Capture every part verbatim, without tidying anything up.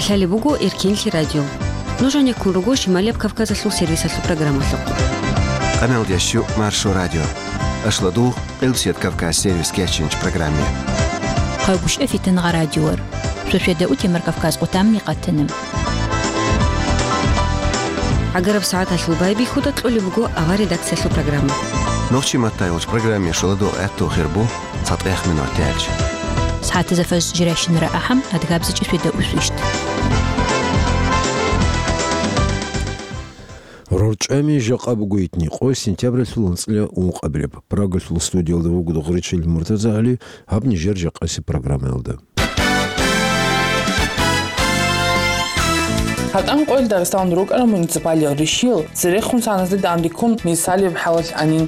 Лъалеб буго Эркенлъи радио. Нуж гьанеккун руго Шималияб Кавказалъул сервисалъул программалъухъ. Къаналда щу Маршо радио. Ашладу Къилбсият Кавказ сервис кечинч программе. Хъагушев Фитангъа радиор. Шошеда утемар Кавказ къутамни къатана. Агараб сагӀаталъул байбихьуда кьолеб буго авар редакциялъул программа. Нохчи маттайолч программе шоладо гӀатту хирбу цатӀех минут тялч. СагӀатаза фаз жиращинара ахӀам адгабзичӀи шведа усвищт. РорчӀами жакъа буго итни къо сентябралъул анцӀила ункъабилеб. Прагалъул студиялда вуго Догъричил МуртазагӀали, гьаб нижер жакъаси программаялда. ГьатӀан къоялъ Дагъистаналда рукӀарал муниципалиял ришиял церехун саназде данде ккун мисалияб хӀалалъ анин.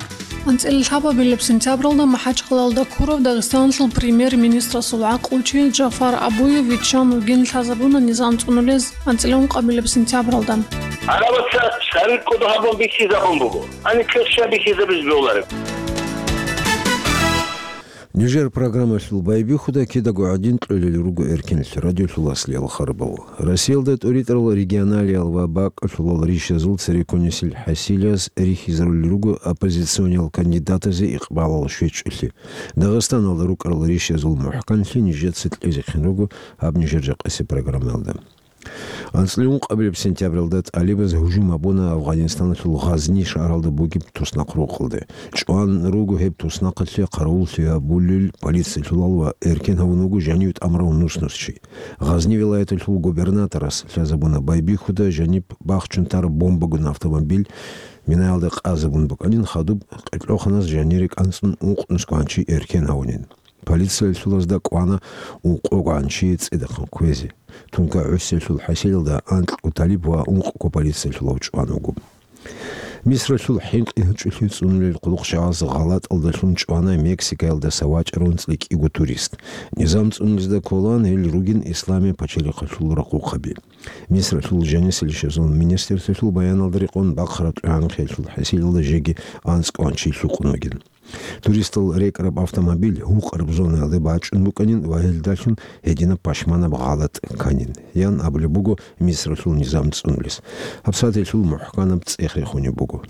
АнцӀила лъабабилеб сентябралда МахӀачхъалаялда ккурав Дагъистаналъул премьер-министрасул гӀакълучи Джафар Абуев виччан вугин лъазабуна низам цӀунулез анцӀила ункъабилеб сентябралда. Гьарабаца цӀар кӀодо гьабун бихьизабун буго. Гьаниб кьерща бихьизабиз бегьулареб. Нижер программалъул байбихьуда кидаго гӀадин кьолел руго Эркенлъи радиолъул аслиял харбал. Россиялда тӀуритӀарал регионалиял ва бакӀалъулал ришазул цереккунисел хӀасилияс рихьизарулел руго оппозициониял кандидатазе икъбалал щвечӀолъи. Дагъистаналда рукӀарал ришазул мухӀканлъи нижеца кьезехъин руго гьаб нижер жакъаси программаялда. АнцӀила ункъабилеб сентябралда тӀалибаз гьужум гьабуна Афгъанистаналъул Гъазни шагьаралда бугеб туснахъ рокъалде. ЧӀван руго гьеб туснахъалъе къаравуллъи гьабулел полициялъулал ва эркен гьавун вуго жанив тӀамурав нус-нус чи. Гъазни вилаяталъул губернаторас лъазабуна байбихьуда жаниб бахчун тараб бомбагун автомобиль минаялда къазабун букӀанин, хадуб къеркьоханаз жанире кӀанцӀун ункънус гванчи эркен гьавунин. Полициялъулазда кӀвана ункъо гванчи цӀидахъан кквезе. Тункай гӀусиялъул хӀасилалда анкьго талиб ва ункъго полициялъулав чӀван вуго. Мисралъул хӀинкъи гьучӀулъи цӀунулел хъулухъчагӀаз гъалатӀалдалъун чӀвана Мексикаялдаса вачӀарав анцӀила кӀиго турист. Низам цӀунулезда кколаан гьел ругин исламияб пачалихъалъул рахъухъаби. Мисралъул жанисел ришазул министрлъиялъул баяналда рекъон бахъараб тӀугӀанхъиялъул хӀасилалда жеги анцӀго гванчи лъукъун вугин. Туристал рекӀараб автомобиль гьукъараб зонаялде бачӀун букӀанин ва гьелдалъун гьединаб пашманаб гъалатӀ кканин, ян абулеб буго Мисралъул низам цӀунулес. ГьабсагӀаталъул мухӀканаб цӀех рехунеб буго.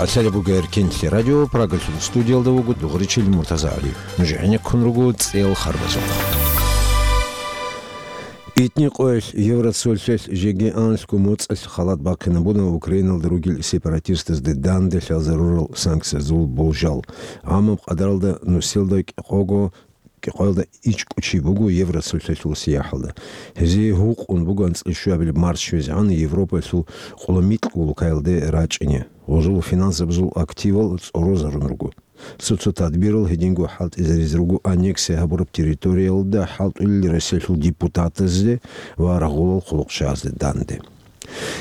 Лъалеб буго Эркенлъи радио, Прагалъул студиялда вуго Дугъричил МуртазагӀали. Нуж гӀенеккун руго цӀел харбазухъ. Итни къоялъ Евроцолъалъ жеги анлъго моцӀалъ халат бахъинабуна Украиналда ругел сепаратистазде данде лъазарурал санкциязул болжал. Амма къадаралда нусилда кӀикъого, кӀикъоялда ичӀго чи буго Евроцолъалъул сияхӀалда. Гьезие гьукъун буго анцӀила щуабилеб марс щвезегӀан Европаялъул къоло микьго улкаялде рачӀине. Гъозул финансабазул активал цӀорозарун руго. Цо-цо тадбирал гьединго хӀалтӀизаризе руго аннексия гьабураб территориялда хӀалтӀулел Россиялъул депутатазде ва рагъулал хъулухъчагӀазде данде.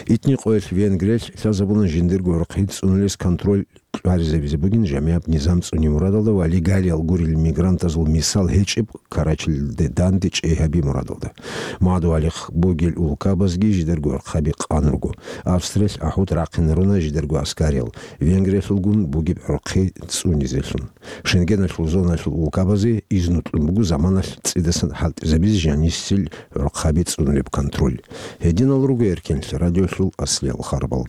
Итни къоялъ Венгриялъ лъазабуна жиндирго гӀурхъи цӀунулес контроль кьваризабизе бугин жамигӀаб низам цӀуне мурадалда ва легалиял гурел мигрантазул мисал гьечӀеб Карачалде данде чӀей гьаби мурадалда. Мадугьалихъ бугел улкабазги жидерго гӀурхъаби къан руго. Австриялъ ахӀут рахъинаруна жидерго аскариял, Венгриялъулгун бугеб гӀурхъи цӀунизелъун. Шенгеналъул зоналъул улкабазе изну кьун буго заманалъ цӀидасан хӀалтӀизабизе жанисел гӀурхъаби цӀунулеб контроль. Гьединал руго Эркенлъи радиолъул аслиял харбал.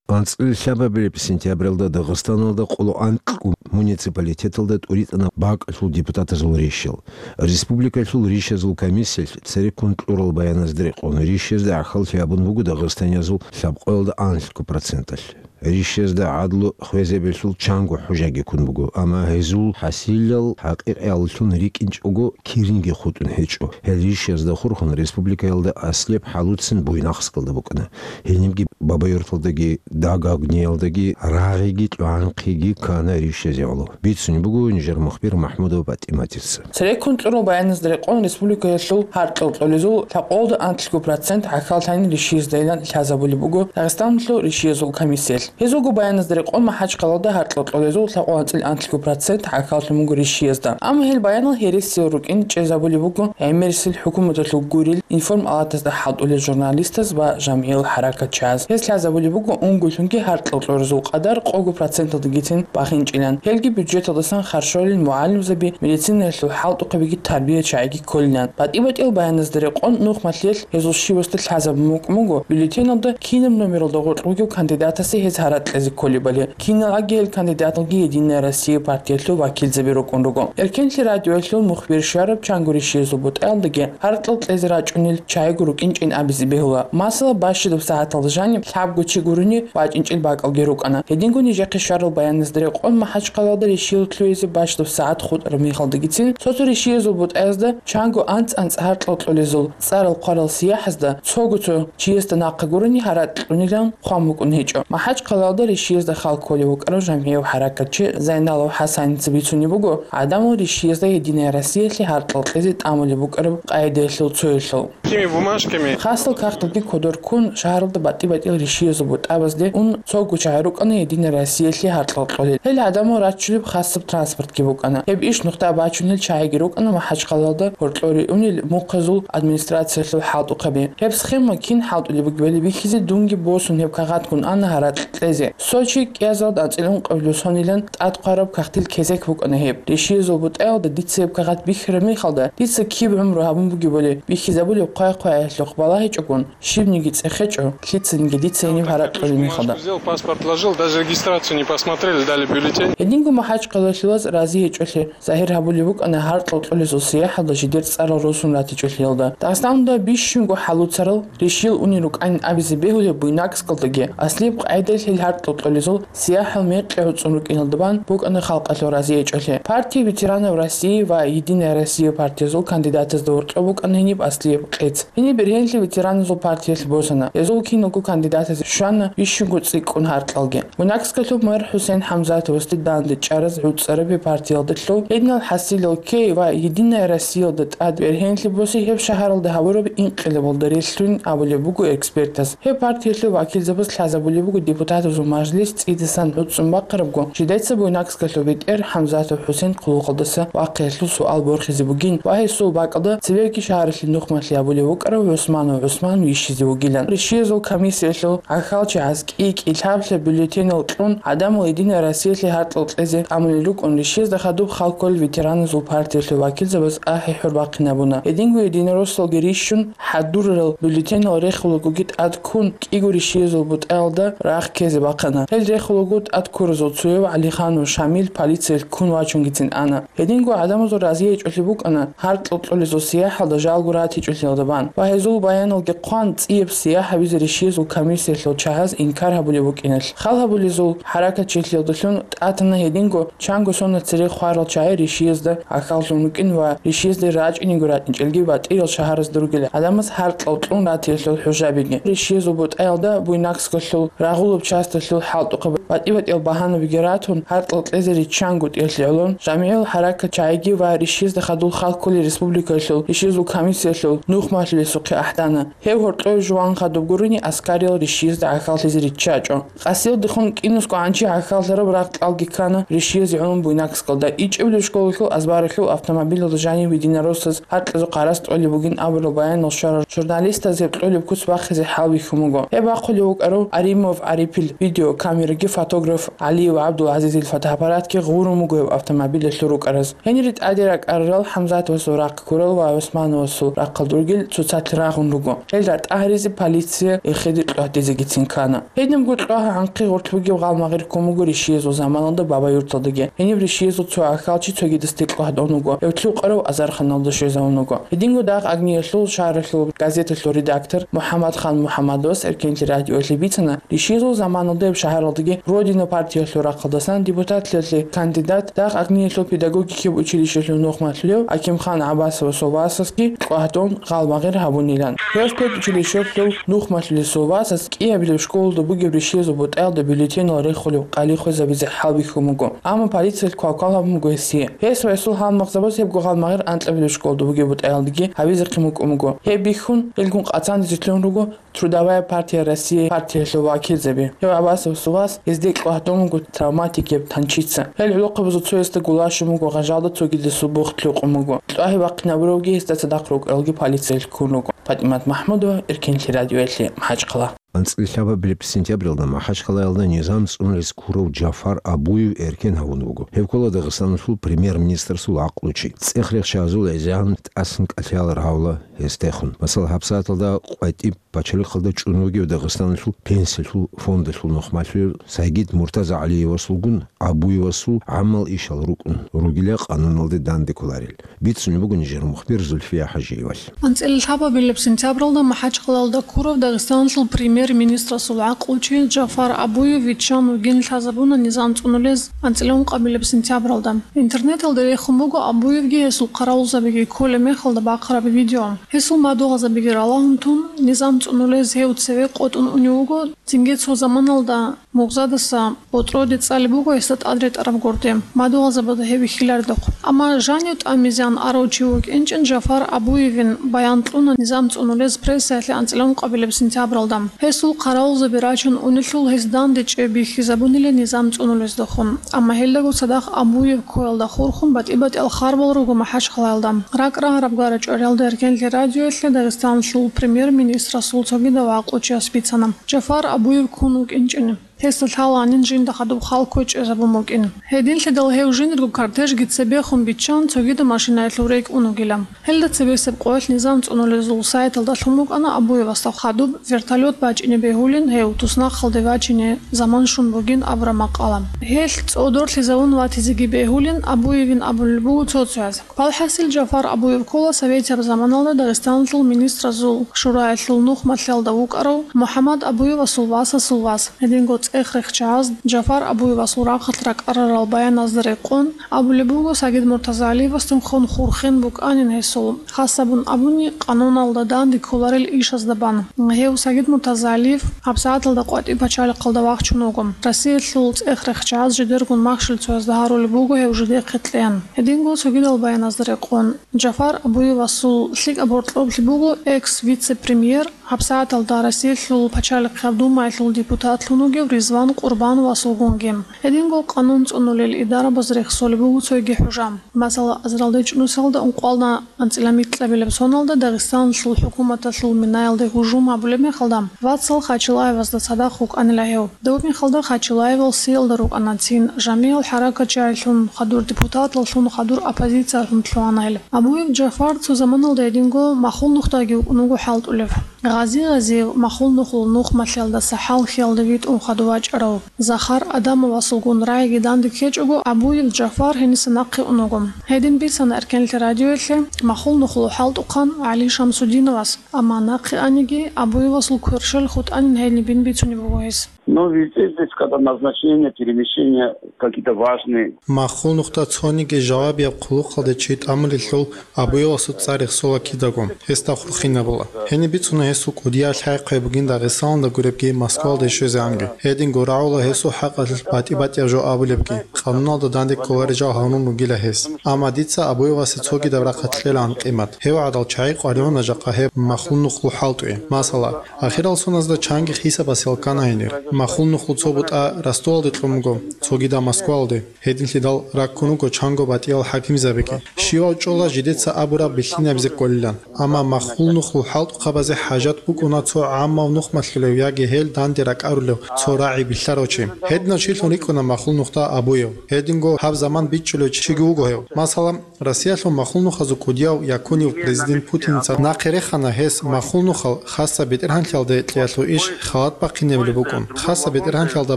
АнцӀила лъабабилеб сентябралда Дагъистаналда къоло анкьго муниципалитеталда тӀуритӀана бакӀалъул депутатазул ришал. Республикалъул ришазул комиссиялъ цереккун кьурал баяназда рекъон ришазда гӀахьаллъи гьабун буго дагъистаниязул лъабкъоялда анлъго проценталъ. Ришазда гӀадлу хвезабиялъул чанго хӀужаги ккун буго, амма гьезул хӀасилал хӀакъикъияллъун рикӀкӀинчӀого кирниги хутӀун гьечӀо. Гьел ришазда хурхун республикаялда аслияб хӀалуцин Буйнакскалда букӀана. Гьенибги Бабаюрталдаги, Дагагниялдаги рагъиги тӀугӀанхъиги ккана ришазе гӀоло. Бицунеб буго нижер мухбир МахӀмудова ПатӀиматица. Цереккун кьурал баяназда рекъон республикаялъул гьаркьал кьолезул лъабкъоялда анлъго процент гӀахьаллъани ришиздайилан лъазабулеб буго Дагъистаналъул ришиязул комиссиялъ. Гьезулго баяназда рекъон, МахӀачхъалалда гьаркьал кьолезул лъабкъоялда анлъго процент гӀахьаллъун буго ришиязда. Амма гьел баянал гьересиял рукӀин чӀезабулеб буго гӀемерисел хӀукуматалъул гурел информ-палатазда хӀалтӀулел журналистаз ва жамгӀиял хӀаракатчияз. Гьез лъазабулеб буго унгоялъунги гьаркьал кьолезул къадар къого проценталдагицин бахинчӀилан. Гьелги бюджеталдасан харжулел мугӀалимзаби, медицинаялъул хӀалтӀухъабиги тарбиячагӀиги кколилан. БатӀи-батӀиял баяназда рекъон, нухмалъиялъ гьезул щивасда лъазабун букӀун буго бюллетеналда кинаб номералда гъоркь бугев кандидатасе гьез гьаракь кьезе кколебали. Киналги гьел кандидаталги «Единая Россия» партиялъул вакилзаби рукӀун руго. Эркенлъи радиоялъул мухбир щвараб чанго ришиязул бутӀаялдаги гьаркьал кьезе рачӀунел чагӀиги рукӀинчӀин абизе бегьула. Масала, бащадаб сагӀаталда жаниб лъабго чи гурони вачӀинчӀел бакӀалги рукӀана. Гьединго нижехъе щварал баяназда рекъон, МахӀачхъалалда ришиял лъугӀизе бащадаб сагӀат хутӀараб мехалдагицин цо-цо ришиязул бутӀаязда чанго анцӀ-анцӀ гьаркьал кьолезул цӀарал хъварал сияхӀазда цого-цо чиясда нахъа гурони гьаракь кьунилан хъван букӀун гьечӀо. МахӀачхъалалда ришиязда хал кколев вукӀарав жамгӀияв хӀаракатчи Зайналов ХӀасаница бицунеб буго гӀадамал ришиязда «Единая Россиялъе» гьаркьал кьезе тӀамулеб букӀараб къагӀидаялъул цоялъул. Какими бумажками? Хасал кагъталги кодор ккун, шагьаралда батӀи-батӀиял ришиязул бутӀабазде ун цого чагӀи рукӀана «Единая Россиялъе» гьаркьал кьолел. Гьел гӀадамал рачулеб хасаб транспортги букӀана. Гьеб иш нухда бачун гьел чагӀиги рукӀана МахӀачхъалалда гьоркьоре унел мухъазул администрациялъул хӀалтӀухъаби. Гьеб схема кин хӀалтӀулеб бугебали бихьизе дунги босун гьеб кагъат ккун ана гьаракь кьезе. Сочи кӀиазалда анцӀила ункъабилеб сонилан тӀадхъвараб кагътил кезек букӀана гьеб. Ришиязул бутӀаялда дица гьеб кагъат бихьараб мехалда, дица киб гӀумру гьабун бугебали бихьизабулеб хъвай-хъваялъухъ балагьичӀогун, щибниги цӀехечӀо, лъицаниги дица гьениб гьаракь кьолеб мехалда. Взял паспорт, вложил, даже регистрацию не посмотрели, дали бюллетень. Гьединго МахӀачхъалалъулаз разиячӀолъи загьир гьабулеб букӀана гьаркьал кьолезул сияхӀалда жидер цӀарал росун ратичӀолъиялда. Дагъистаналда бищунго хӀалуцарал ришиял унел рукӀанин абизе бегьулеб Буйнакскалдаги аслияб къагӀидаялъ гьел гьаркьал кьолезул сияхӀал мекъи гӀуцӀун рукӀиналда бан букӀана халкъалъул разиячӀолъи. Партия ветеранов России ва «Единая Россия» партиязул кандидатазда гьоркьоб букӀана гьениб аслияб къец. Гьениб бергьенлъи ветераназул партиялъ босана. Гьезул киналго кандидатазе щвана бищунго цӀикӀкӀун гьаркьалги. Буйнакскалъуб мэр ХӀусен ХӀамзатовасде данде чӀараз гӀуцӀараб гьеб партиялдалъул гьединал хӀасилал ккей ва «Единая Россиялда» тӀад бергьенлъи босе гьеб шагьаралда гьабураб инкъилабалда релълъун абулеб буго экспертаз. Гьеб партиялъул вакилзабаз лъазабулеб буго депутатазул мажлис цӀидасан гӀуцӀун бахъарабго, жидеца Буйнакскалъул бетӀер ХӀамзатов ХӀусен хъулухъалдаса вахъиялъул суал борхизе бугин ва гьесул бакӀалда цебеги шагьаралъе нухмалъи абулев вукӀарав ГӀусманов ГӀусман вищизе вугилан. Ришиязул комиссиялъул гӀахьалчагӀаз кӀи-кӀи лъаб-лъаб бюллетенал кьун, гӀадамал «Единая Россиялъе» гьаркьал кьезе тӀамулел рукӀун, ришиязда хадуб хал кколел ветераназул партиялъул вакилзабаз ахӀи-хӀур бахъинабуна. Гьединго единороссалги рищун, хӀадурарал бюллетенал рехулагоги тӀад ккун, кӀиго ришиязул бутӀаялда рагъ ккезе бахъана. Гьел рехулаго тӀад ккуразул цояв ГӀалиханов Шамил полициялъ ккун вачунгицин ана. Гьединго гӀадамазул разиячӀолъи букӀана гьаркьал кьолезул сияхӀалда жалго ратичӀолъиялда бан ва гьезул баяналги хъван цӀияб сияхӀ гьабизе ришиязул комиссиялъул чагӀаз инкар гьабулеб букӀиналъ. Хал гьабулезул хӀаракатчилъиялдалъун тӀатана гьединго чанго сона цере хварал чагӀи ришиязда гӀахьаллъун рукӀин ва ришиязде рачӀинего ратӀинчӀелги батӀиял шагьаразда ругел гӀадамаз гьаркьал кьун ратиялъул хӀужабиги. Ришиязул бутӀаялда Буйнакскалъул рагъулаб часталъул хӀалтӀухъаб батӀи-батӀиял багьанабиги ратун, гьаркьал кьезе риччанго тӀелъи гӀолон, жамигӀиял хӀаракатчагӀиги ва ришиязда хадуб хал кколел республикалъул ришиязул комиссиялъул нухмалъулесухъе ахӀдана. Гьев гьоркьов жуван хадуб гурони, аскариял ришиязда гӀахьаллъизе риччачӀо. Къасиялдехун кӀинусго гӀанчи гӀахьаллъараб рагъ кьалги ккана ришиязе гӀолон Буйнакскалда. ИчӀабилеб школалъул азбаралъул автомобилалда жанив единороссаз гьаркьазухъ гьарац тӀолеб бугин абурал баянал щварал журналистаз гьеб кьолеб куц бахъизе хӀалбихьун буго. Гьеб бахъулев вукӀарав Аримов ГӀарипил видеокамераги фотограф ГӀалиев ГӀабдулгӀазизил фотоаппаратги гъурун буго гьеб автомобилалъур рукӀараз. Гьенире тӀаде ракӀарарал ХӀамзатовасул рахъ ккурал ва ГӀусмановасул рахъалда ругел цоцалъ рагъун руго. Гьел ратӀа гьаризе полиция эхеде кьватӀизегицин ккана. Гьединабго кьвагьа гӀанхъи гъорлъ бугеб гъалмагъир ккун буго ришиязул заманалда Бабаюрталдаги. Гьениб ришиязул цо гӀахьалчи цогидасде кьвагьдун вуго. Гьев лъукъарав азарханалда щвезавун вуго. Гьединго дагъ агниялъул шагьаралъул газеталъул редактор МухӀаммадхан МухӀаммадовас Эркенлъи радиоялъе бицана, ришиязул заманалда гьеб шагьаралдаги «Родина» партиялъул рахъалдасан депутатлъиялъе кандидат, дагъ агниялъул педагогикияб училищелъул нухмалъулев Акимхан ГӀаббасовасул васасги кьвагьдун гъалмагъир гьабунилан. Гьев педучилищелъул нухмалъулесул васас кӀиабилеб школалда бугеб ришиязул бутӀаялда бюллетенал рехулеб къали хвезабизе хӀалбихьун буго, амма полициялъ квалквал гьабун буго гьесие. Гьес ва гьесул гьалмагъзабаз гьебго гъалмагъир анкьабилеб школалда бугеб бутӀаялдаги гьабизехъин букӀун буго. Гьеб бихьун, гьелгун къацанизе лъугӀун руго «Трудовая партия России» партиялъул вакилзаби. Гьев ГӀаббасовасул вас гьезде кьвагьдун вуго травматик гьеб танчица. Гьел гӀолохъабазул цоясда гулащун буго, гъажалда цогидасул бухт лъукъун буго. ТӀагьи бахъинабуревги гьесда цадахъ рукӀаралги полициялъ ккун руго. ПатӀимат МахӀмудова, Эркенлъи радиоялъе, МахӀачхъала. АнцӀила лъабабилеб сентябралда МахӀачхъалаялда низам цӀунулез ккурав Джафар Абуев эркен гьавун вуго. Гьев ккола Дагъистаналъул премьер-министрасул гӀакълучи. ЦӀех-рехчазул гӀезегӀан тӀасан кӀалъалел гьавла гьесдехун. Масала, гьабсагӀаталда къватӀиб пачалихъалда чӀун вугев Дагъистаналъул пенсиялъул фондалъул нухмалъулев Сагид МуртазагӀалиевасулгун Абуевасул гӀамал ишал рукӀун ругила къануналде данде кколарел. Бицунеб буго нижер мухбир Зульфия ХӀажиевалъ. АнцӀила лъабабилеб сентябралда МахӀачхъалаялда ккурав Дагъистаналъул премьер-министрасул гӀакълучи Джафар Абуев виччан вугин лъазабуна низам цӀунулез анцӀила ункъабилеб сентябралда. Интернеталда рехун буго Абуевги гьесул хъаравулзабиги кколеб мехалда бахъараб видео. Гьесул мадугьалзабиги ралагьун тун, низам цӀунулез гьев цеве къотӀун унев вуго, цинги цо заманалда мугъзадаса ботӀроде цӀалеб буго гьесда тӀад ретӀараб гурде, мадугьалзабазда гьев вихьиларедухъ. Амма жанив тӀамизеян арав чи вукӀинчӀин Джафар Абуевин баян кьуна низам цӀунулез прессаялъе анцӀила ункъабилеб сентябралда. Гьесул хъаравулзаби рачун унелъул гьес данде чӀей бихьизабунила низам цӀунулездехун. Амма гьелдаго цадахъ Абуев ккоялда хурхун батӀи-батӀиял харбал руго МахӀачхъалаялда. РакӀ рагьараб гара чӀвариялда Эркенлъи радиоялъе Дагъистаналъул премьер-министрасул цогидав гӀакълучияс бицана, Джафар Абуев ккун вукӀинчӀин. Гьесда лъаланин жинда хадуб хал кквечӀезабун букӀин. Гьединлъидал гьев жиндирго кортежги цебехун биччан, цогидаб машинаялъув рекӀун вугила. Гьелда цебесеб къоялъ низам цӀунулезул сайталда лъун букӀана Абуевасда хадуб вертолет бачӀине бегьулин, гьев туснахъалде вачине заман щун бугин абураб макъала. Гьелъ цӀодорлъизавун ватизеги бегьулин Абуевин абулел буго цо-цояз. Валхъасил, Джафар Абуев ккола советияб заманалда Дагъистаналъул министразул шураялъул нухмалъиялда вукӀарав МухӀаммад Абуевасул васасул вас. Гьединго цӀех-рехчагӀаз Джафар Абуевасул рахъалъ ракӀарарал баяназда рекъон абулеб буго, Сагид МуртазагӀалиевасдехун хурхин букӀанин гьесул, хасабун абуни, къануналда данде кколарел ишазда бан. Гьев, Сагид МуртазагӀалиев, гьабсагӀаталда къватӀиб пачалихъалда вахчун вуго. Россиялъул цӀех-рехчагӀаз жидергун махщел цоязда гьарулеб буго гьев жидехъе кьеян. Гьединго цогидал баяназда рекъон, Джафар Абуевасул лъикӀаб гьоркьоблъи буго экс-вице-премьер, гьабсагӀаталда Россиялъул Пачалихъияб Думаялъул депутатлъун вугев Ризван Къурбановасулгунги. Гьединго къанун цӀунулел идарабаз рехсолеб буго цойги хӀужа. Масала, азаралде чӀунусалда ункъоялда анцӀила микьабилеб соналда Дагъистаналъул хӀукуматалъул минаялде гьужум гьабулеб мехалда, вацал Хачилаевазда цадахъ вукӀанила гьев. Доб мехалда Хачилаевал сиялда рукӀана цин, жамигӀал хӀаракатчагӀилъун хадур депутатлъун хадур оппозициялъун лъугьана гьел. Абуев Джафар цо заманалда гьединго Махул нухдаги вукӀун вуго хӀалтӀулев. Гъази Гъазиев Махул нухлул нухмалъиялдаса хӀалхьиялда витӀун хадув вачӀарав Захар Адамовасулгун рагӀиги данде ккечӀого, Абуев Джафар гьениса нахъе ун вуго. Гьедин бицана Эркенлъи радиоялъе Махул нухлул хӀалтӀухъан ГӀали Шамсудиновас. Амма нахъе аниги, Абуевасул кверщел хутӀанин гьенибин бицунеб буго гьес. Но везде здесь, когда назначение, перемещение, какие-то важные. Махул нухда цониги жавабияб хъулухъалде чи тӀамулелъул Абуевасул цӀар рехсола кидаго, гьесда хурхинабула. Гьениб бицуна гьесул кӀудияв лъай-хъвай бугин Дагъистаналда гуребги, Москвалде щвезегӀанги. Гьединго рагӀула гьесул хӀакъалъулъ батӀи-батӀияб жо абулебги. Къануналда данде кколарел жал гьарун ругила гьес. Амма дица Абуевасе цогидаб рахъалъ кьелаан къимат. Гьев гӀадал чагӀи къваригӀуна жакъа гьеб Махул нухлул хӀалтӀуе. Масала, ахирал соназда чанги хисабасе ккана гьенир. Махул нухлу цо бутӀа Ростовалде кьун буго, цогидаб Москвалде. Гьединлъидал раккун руго чанго батӀиял хӀакимзабиги. Щивав чӀола жидеца абураб бихьинабизе кколилан. Амма Махул нухлул хӀалтӀухъабазе хӀажат букӀуна цо гӀаммав нухмалъулев яги гьел данде ракӀарулев цо рагӀи билълъарав чи. Гьединав чилъун рикӀкӀуна Махул нухда Абуев. Гьединго гьаб заман бичӀчӀулев чиги вуго гьев. Масала, Россиялъул махул нухазул кӀудияв Якунов президент Путиница нахъе рехана, гьес махул нухал хасаб бетӀергьанлъиялде кьеялъул иш халат бахъинабулеб букӀун. Хасаб бетӀергьанлъиялда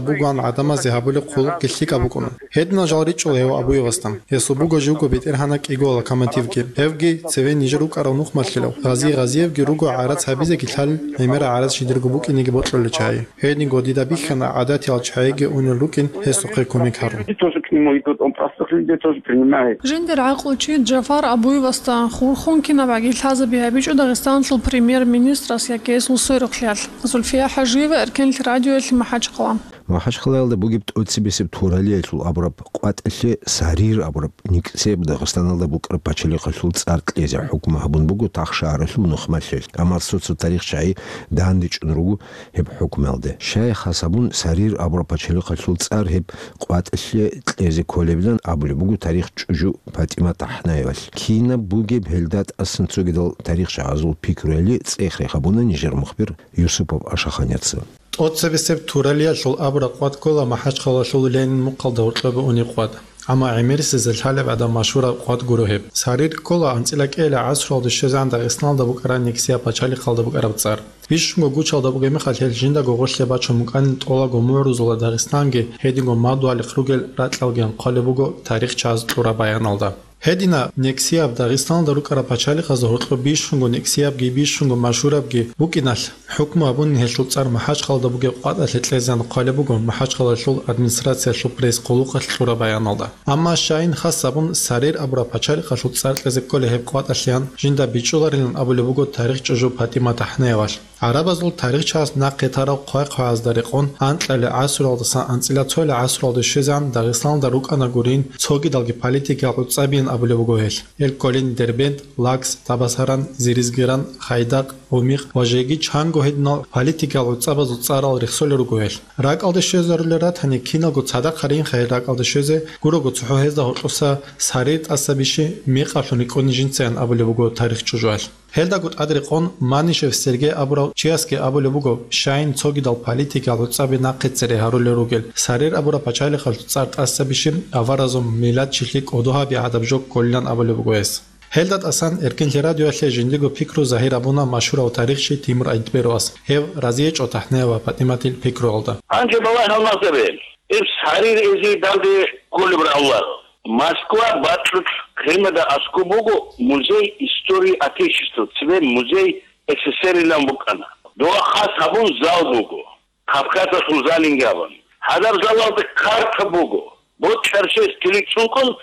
бугоан гӀадамазе гьабулеб хъулухъги лъикӀаб букӀун. Гьединал жал ричӀчӀула гьев Абуевасда. Гьесул буго живго бетӀергьанаб кӀиго локомотивги. Гьевги цеве нижер рукӀарал нухмалъулев Гъази Гъазиевги руго гӀарац гьабизеги лъалел, гӀемерал гӀарац жидерго букӀинеги бокьулел чагӀи. Гьединго дида бихьана гӀадатиял чагӀиги унел рукӀин гьесухъе кумек гьарун. Люди тоже к нему идут, он простых людей тоже принимает. Жиндир гӀакълучи Джафар Абуевасда хурхун кинабгӀаги лъазаби гьабичӀо Дагъистаналъул премьер-министрас яги гьесул сверухълъиялъ. Зульфия ХӀажиева, Эркенлъи радиоялъе, МахӀачхъала. МахӀачхъалаялда бугеб тӀоцебесеб Туралиялъул абураб къватӀалъе Сарир абураб никсияб Дагъистаналда букӀараб пачалихъалъул цӀар кьезе хӀукму гьабун буго тахшагьаралъул нухмалъел, амма цо-цо тарихчагӀи дандечӀун руго гьеб хӀукмуялда. Щай хас гьабун, Сарир абураб пачалихъалъул цӀар гьеб къватӀалъе кьезе кколебилан абулеб буго тарих чӀужу ПатӀимат ТӀахӀнаевалъ. Кинаб бугеб гьелда тӀасан цогидал тарихчагӀазул пикруяли цӀех-рех гьабуна нижер мухбир Юсупов Ашаханяца. ТӀоцебесеб Туралиялъул абураб къват ккола МахӀачхъалалъул Ленин мухъалда гьоркьобе унеб къват. Амма гӀемерисезда лъалеб гӀадаб машгьураб къват гуро гьеб. Сарир ккола анцӀила кӀиабилеб гӀасруялде щвезегӀан Дагъистаналда букӀараб никсияб пачалихъалда букӀараб цӀар. Бищунго гучалда бугеб мехалъ гьел жиндаго гъорлъе бачун букӀанин тӀолабго мугӀрузулаб Дагъистан, гьединго мадугьалихъ ругел ракьалги кьолеб буго тарихчагӀаз кьураб баяналда. Гьединаб никсияб Дагъистаналда рукӀараб пачалихъазда гьоркьоб бищунго никсиябги бищунго машгьурабги букӀиналъ, хӀукму гьабунин гьелъул цӀар МахӀачхъалалда бугеб къватӀалъе кьезегӀан хъвалеб буго МахӀачхъалалъул администрациялъул пресс-къуллукъалъ кьураб баяналда. Амма щайин хас гьабун, Сарир абураб пачалихъалъул цӀар кьезе кколей гьеб къватӀалъеян жинда бичӀчӀуларилан абулеб буго тарихчӀужу ПатӀимат ТӀахӀнаевалъ. ГӀарабазул тарихчагӀаз нахъе тарав хъвай-хъваязда рекъон анкьабилеб гӀасруялдасан анцӀила цоялъ гӀасруялде щвезегӀан Дагъистаналда рукӀана гурин цогидалги политикиял гӀуцӀабиян абулеб буго гьелъ. Гьел кколин Дербент, Лакс, Табасаран, Зиризгиран, Хайдакъ, Гъумикъ ва жеги чанго гьединал политикиял гӀуцӀабазул цӀарал рехсолел руго гьелъ. РакӀалде щвезарулел ратани, киналго цадахъ гьаринха гьел ракӀалде щвезе, гурого цохӀо гьезда гьоркьоса Сарир тӀаса бищи мекъалъун рикӀкӀуни жинцайин абулеб буго тарихчӀужуялъ. Гьелдаго тӀад рекъон Манишев Сергей абурав чиясги абулеб буго, щайин цогидал политикиял гӀуцӀаби нахъе цере гьарулел ругел, Сарир абураб пачалихъалъул цӀар тӀаса бищи аваразул миллатчилъи кӀодо гьаби гӀадаб жо кколилан абулеб буго гьес. Гьелда тӀасан Эркинлъи радиоялъе жиндиго пикру загьир гьабуна машгьурав тарихчи Тимур Айтберовас, гьев разиечӀо ТӀахӀнаева ПатӀиматил пикруялда. Гьанже балагь гьалмагъзабе, гьеб Сарир эзие данде кколеб равлар. Москва бакьулъ Крымалда аскӀоб буго музей истории Отечества, цебе музей СССР-илан букӀана. Дова хас гьабун зал буго, Кавказалъул залинги абун. Гьадаб залалда карта буго, бокьарчияс тилик цӀункӀун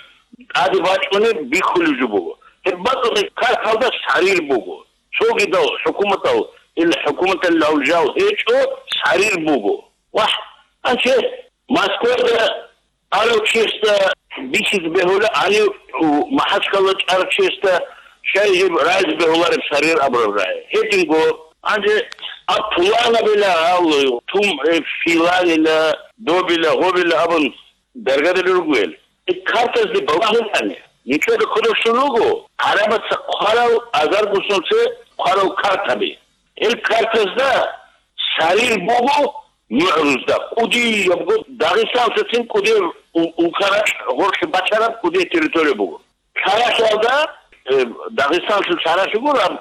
тӀаде бачӀунеб бихьулеб жо буго. Гьеб бакӀалда карталда Сарир буго. Цогидал хӀукуматал, ил хӀукуматалъул жал гьечӀо, Сарир буго. Вагь, гьанже Москвада арав чиясда бихьизе бегьула, гьанив МахӀачхъала чӀарав чиясда щай гьеб рагӀизе бегьулареб Сарир абураб рагӀи. Гьединго, гьанже аб пуланабила гьал, тум, э, филанила, добила, гьобила абун даргадали ругел. Э, картазде балагьулани, нилъеда кодобщун руго, гӀарабаца хъварал, азарго сунце хъварал картаби. Ил картазда Сарир буго мугӀрузда, кӀудиябго дагъистанцацин кӀудияб у-, улкарал гъорлъе бачараб кӀудияб территория буго. Лъаралъалда, э, Дагъистанлъул лъаралъ гураб,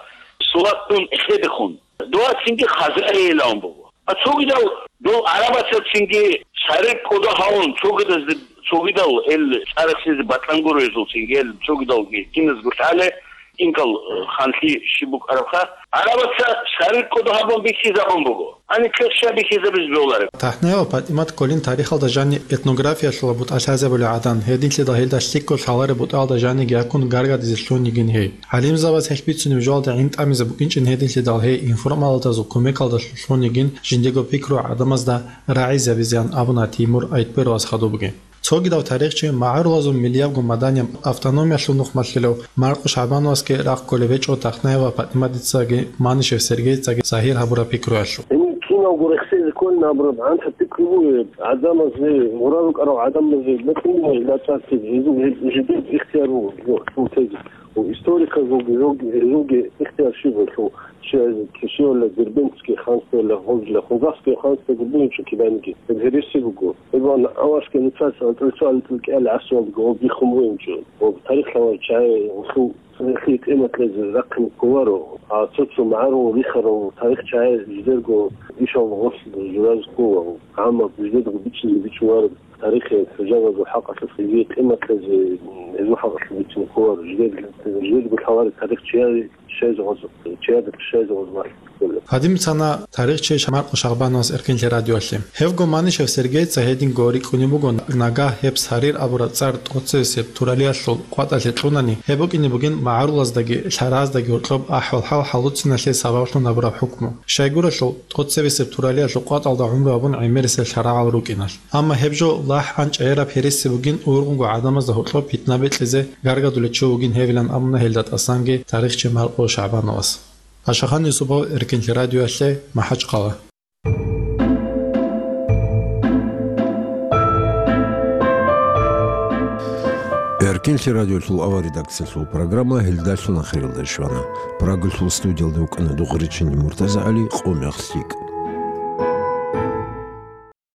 Сулатун эхедехун. Дова цинги Хазариялъун буго. А цогидал дол гӀарабацацинги Сарир кӀодо гьавун, цогидазде, цогидал ил цӀарахъизе батӀан гуро гьезулцинги, ил цогидалги киназго лъале, инкал, э, ханлъи щиб букӀарабха, гӀарабаца Сарир кӀодо гьабун бихьизабун буго. Гьаниб ккеша бихьизабизе бегьулареб. ТӀахӀнаева ПатӀимат кколин тарихалда жаниб этнографиялъула бутӀа лъазабулев гӀадан, гьединлъидал гьелда лъикӀго лъалареб бутӀаялда жаниги гьакун гаргадизе лъун йигин гьей. ГӀалимзабаз гьелъ бицунеб жоялда гӀинтӀамизе букӀинчӀин гьединлъидал гьей информалдазул кумекалдалъун лъун йигин жиндиего пикру гӀадамазда рагӀизабизеян абуна Тимур Айтберовас хадубги. Цогидав тарихчи магӀарулазул миллиябго маданияб автономиялъул нухмалъилав Маркъу ШагӀбановасги рахъ кколеб гьечӀо ТӀахӀнаева ПатӀиматицаги Манишев Сергейцаги загьир гьабураб пикруялъул. Гьениб киналго рехсезе кколин абураб гӀантаб пикру буго, гӀадамазе, гъура рукӀарал гӀадамазе мекъи буго гьелда цӀар тезе, гьезул гьеб жидер ихтияр буго, гьезул тезе. Ва историказулги, гьезулги, гьезулги ихтияр щиб буго, щай кишиялда Дербентский ханствоялда, гьобила Хузахский ханствоги бугинчӀо киданиги, гьеб гьереси буго. Гьеб аварсги нуцаца анцӀила цо анцӀила кӀиабилеб гӀасруялдаго гьоб биххун бугинчӀо. Ва тарихлъан чагӀи гьелъул Цинги къимат кьезе рахъине кколаро, а цо-цо магӀарул рихарал тарихчагӀи жидерго ишал гъорлъ журазе ккола, амма жидерго бичӀчӀизе бичӀчӀуларо. Тарихи хӀужалаго хӀакъалъулъ гьезие къимат кьезе, гьезул хӀакъалъулъ бицине ккола, жидер-, жидерго лъалареб тарих чияе щайзе гъоз-, чияда щайзе гъозмалъ ккола. Гьадин бицана тарихчи Маркъо Шагьбановас Эркинлъи радиоялъе. Гьевго Манишев Сергейца гьединго рикӀкӀунеб буго, нагагь гьеб Сарир абураб цӀар тӀоцебесеб Туралиялъул къватӀалъе кьунани, гьеб букӀине бугин магӀарулаздаги лъараздаги гьоркьоб ахӀвал-хӀал хӀалуцӀиналъе сабаблъун гьабураб хӀукму. Щайгурелъул, тӀоцебесеб Туралиялъул къватӀалда гӀумру гьабун гӀемерисел лъарагӀал рукӀиналъ. Амма гьеб жо лахӀ-гӀанчӀ гӀераб гьереси бугин, ургъунго гӀадамазда гьоркьоб питна бекьизе гаргадулев чи вугин гьевилан абуна гьелда тӀасанги тарихчи Маркъо Шагьбановас. Ашахан Юсупов, Эркинлъи радиоялъе, МахӀачхъала. Эркинлъи радиолъул авал редакциялъул программа гьелдалъун ахиралде щвана. Прагалъул студиялда вукӀана Дугъричинни МуртазагӀали, къо мех лъикӀ.